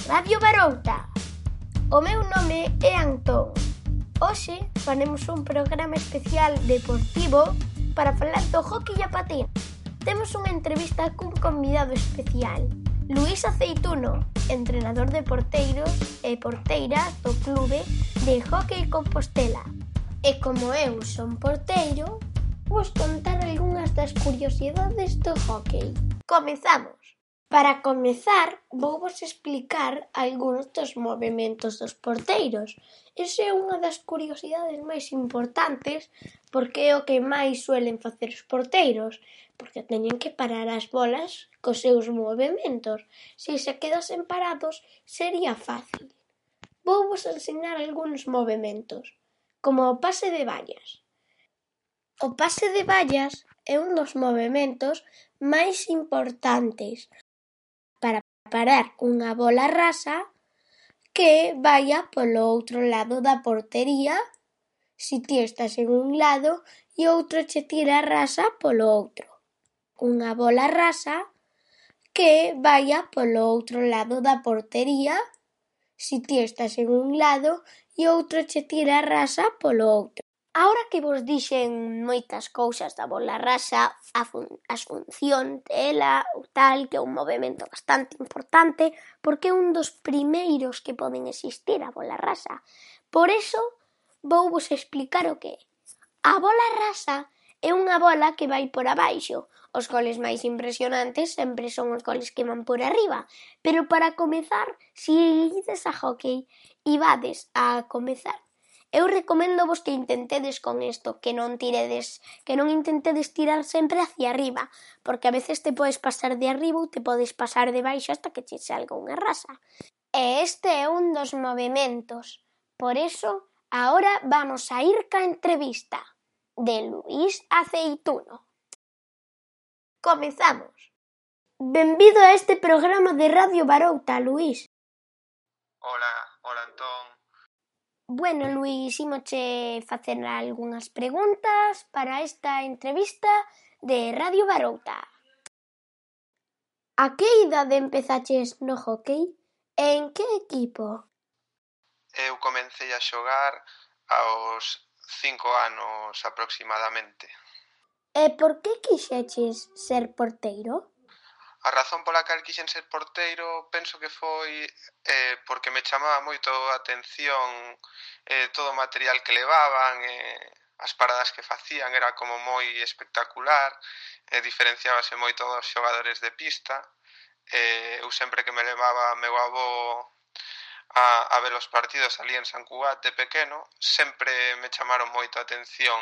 Radio Barouta. O meu nome é Antón. Hoxe faremos un programa especial deportivo para falar do hóckey a patín. Temos unha entrevista cun convidado especial, Luís Aceituno, entrenador de porteiros e porteiras do clube de hóckey Compostela. E como eu son porteiro, vos contar algunhas das curiosidades do hóckey. Comezamos. Para comezar, vouvos explicar algúns dos movementos dos porteiros. Esa é unha das curiosidades máis importantes porque é o que máis suelen facer os porteiros, porque teñen que parar as bolas cos seus movementos. Se se quedasen parados, sería fácil. Vouvos ensinar algúns movementos, como o pase de vallas. O pase de vallas é un dos movementos máis importantes para parar unha bola rasa que vaia polo outro lado da portería se ti estás en un lado e outro che tira rasa polo outro. Unha bola rasa que vaia polo outro lado da portería se ti estás en un lado e outro che tira rasa polo outro. Ahora que vos dixen moitas cousas da bola rasa, as funcións dela, o tal, que é un movemento bastante importante, porque é un dos primeiros que poden existir, a bola rasa. Por eso, vouvos explicar o que é. A bola rasa é unha bola que vai por abaixo. Os goles máis impresionantes sempre son os goles que van por arriba. Pero para comezar, se ides a hóckey e vades a comezar, eu recomendo vos que intentedes con isto, que non intentedes tirar sempre hacia arriba, porque a veces te podes pasar de arriba ou te podes pasar de baixo hasta que che salga unha rasa. E este é un dos movementos. Por eso, agora vamos a ir ca entrevista de Luís Aceituno. Comezamos. Benvido a este programa de Radio Barouta, Luís. Hola Antón. Bueno, Luís, imoche facer algunhas preguntas para esta entrevista de Radio Barouta. A que idade empezaches no hóckey? E en que equipo? Eu comecei a xogar aos 5 anos aproximadamente. E por que quixeches ser porteiro? A razón pola cal quixen ser porteiro penso que foi porque me chamaba moito a atención todo o material que levaban, as paradas que facían era como moi espectacular, diferenciábase moito dos xogadores de pista. Eu sempre que me levaba meu avó a ver os partidos ali en San Cugat de pequeno, sempre me chamaron moito a atención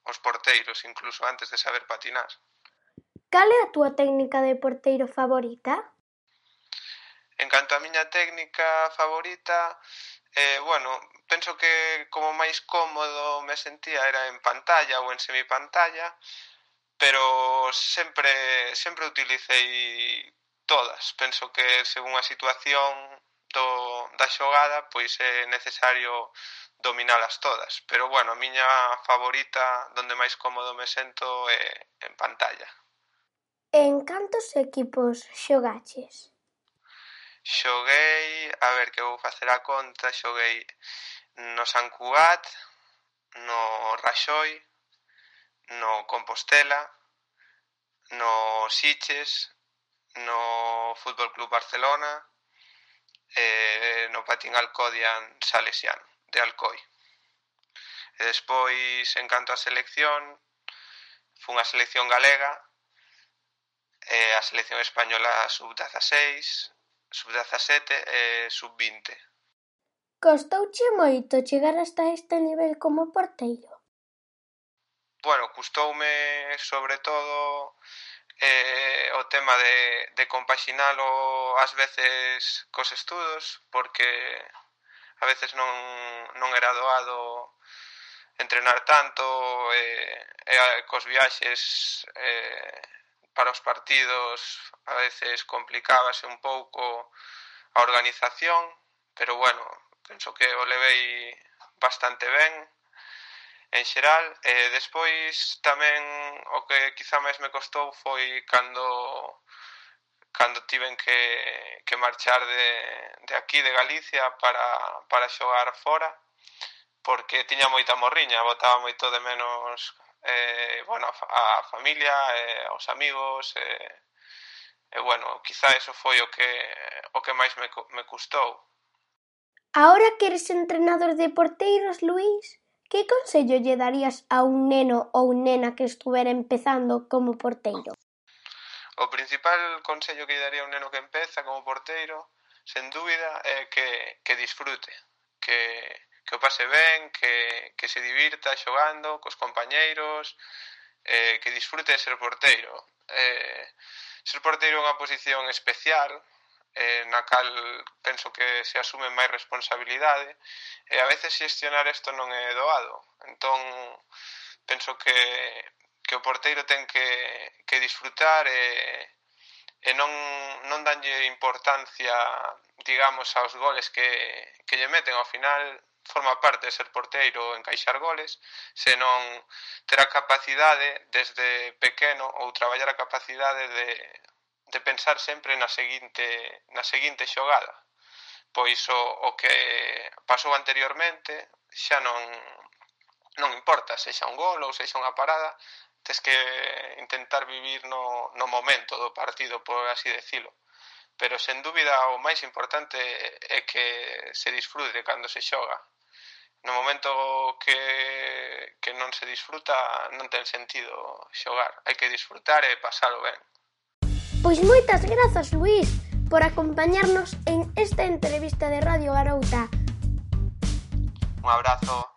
os porteiros, incluso antes de saber patinar. Cal é a túa técnica de porteiro favorita? En canto a miña técnica favorita, penso que como máis cómodo me sentía era en pantalla ou en semipantalla, pero sempre utilicei todas. Penso que según a situación da xogada, pois é necesario dominalas todas. Pero, a miña favorita, donde máis cómodo me sento, é en pantalla. En cantos equipos xogaches? Xoguei, que vou facer a conta, xoguei no San Cugat, no Raxoi, no Compostela, no Sitges, no Fútbol Club Barcelona e no Patín Alcodian Salesiano, de Alcoi. E despois, en canto a selección, fun a selección galega, a selección española sub-16, sub-17 e sub-20. Costouche moito chegar hasta este nivel como porteiro? Custoume sobre todo o tema de compaxinalo ás veces cos estudos, porque a veces non era doado entrenar tanto e cos viaxes para os partidos a veces complicábase un pouco a organización, pero penso que o levei bastante ben en xeral. Despois tamén o que quizá máis me costou foi cando cando tiven que marchar de aquí, de Galicia, para xogar fora, porque tiña moita morriña, botaba moito de menos a familia, aos amigos, quizá eso foi o que máis me custou. Ahora que eres entrenador de porteiros, Luís, que consello lle darías a un neno ou nena que estuvera empezando como porteiro? O principal consello que lle daría a un neno que empeza como porteiro, sen dúbida, é que disfrute, que o pase ben, que se divirta xogando cos compañeiros, que disfrute de ser porteiro. Ser porteiro é unha posición especial, na cal penso que se asume máis responsabilidade, e a veces xestionar isto non é doado. Entón, penso que o porteiro ten que disfrutar e non danlle importancia, digamos, aos goles que lle meten. Ao final, forma parte de ser porteiro encaixar goles, senón ter a capacidade desde pequeno ou traballar a capacidade de pensar sempre na seguinte xogada. Pois o que pasou anteriormente xa non importa, sexa un gol ou sexa unha parada, tes que intentar vivir no momento do partido, por así decilo. Pero, sen dúbida, o máis importante é que se disfrute cando se xoga. No momento que non se disfruta, non ten sentido xogar. Hai que disfrutar e pasalo ben. Pois moitas grazas, Luís, por acompañarnos en esta entrevista de Radio Garouta. Un abrazo.